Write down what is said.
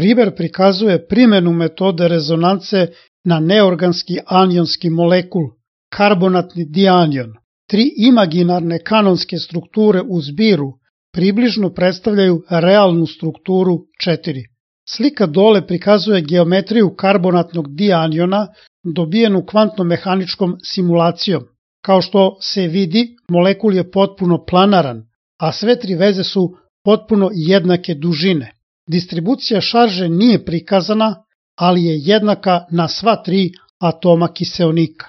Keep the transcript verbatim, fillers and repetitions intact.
Primer prikazuje primjenu metode rezonance na neorganski anionski molekul, karbonatni dianion. Tri imaginarne kanonske strukture u zbiru približno predstavljaju realnu strukturu četiri. Slika dole prikazuje geometriju karbonatnog dianiona dobijenu kvantno-mehaničkom simulacijom. Kao što se vidi, molekul je potpuno planaran, a sve tri veze su potpuno jednake dužine. Distribucija šarže nije prikazana, ali je jednaka na sva tri atoma kiseonika.